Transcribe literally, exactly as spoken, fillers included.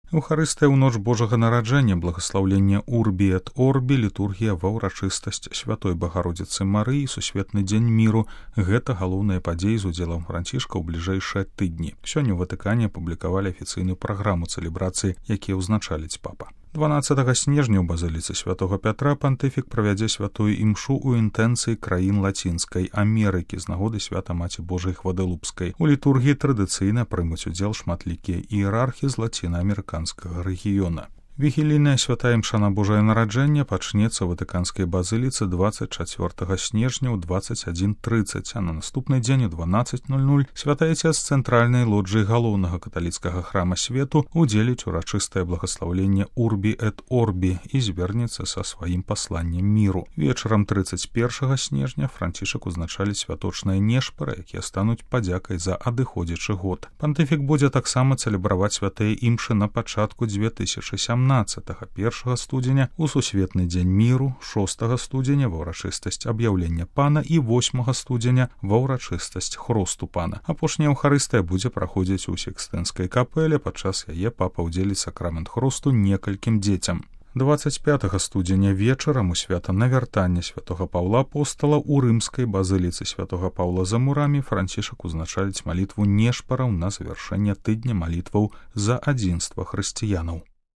Еўхарыстыя ў ноч Божага нараджэння, благаслаўленне Урбі эт Орбі, літургія ва ўрачыстасць Святой Багародзіцы Марыі, сусветны дзень міру. Гэта галоўныя падзеі з удзелам Францішка ў бліжэйшыя тыдні. Сёння ў Ватыкане апублікавалі афіцыйную праграму цэлебрацыі, якія ўзначаліць папа. дванаццатага снежня ў базыліцы святога Пятра пантыфік правядзе святую імшу ў інтэнцыі краін Лацінскай Амерыкі з нагоды свята Маці Божай Гвадалупскай. У літургіі традыцыйна прымуць удзел шматлікія іерархі з лацінаамерыканскага рэгіёна. Вігілійная святая імша на Божае нараджэнне пачнецца ў Ватыканскай базыліцы дваццаць чацвёртага снежня ў дваццаць адзін трыццаць, а на наступны дзень у дванаццаць нуль нуль святая цец з цэнтральнай лоджыі галоўнага каталіцкага храма свету удзеліць урачыстае благаслаўленне Урбі эт Орбі і звернецца са сваім пасланнем міру. Вечарам трыццаць першага снежня Францішак узначаліць святочныя нешпары, якія стануць падзякай за адыходзячы год. Пантыфік будзе таксама цэлебраваць святыя імшы на пачатку дзве тысячы сямнаццатага, першага студзеня у сусветны дзень міру, шостага студзеня ва ўрачыстасць аб'яўлення пана і восьмага студзеня ва ўрачыстасць хросту пана. Апошняя Еўхарыстыя будзе праходзіць у Сікстынскай капэле, падчас яе папа ўдзеліць сакрамент хросту некалькім дзецям. дваццаць пятага студзеня вечарам у свята навяртання святога Паўла апостала ў рымскай базыліцы святога Паўла за мурамі Францішак узначаліць малітву нешпараў на завяршэнне тыдня малітваў за адзінства хрысціянаў.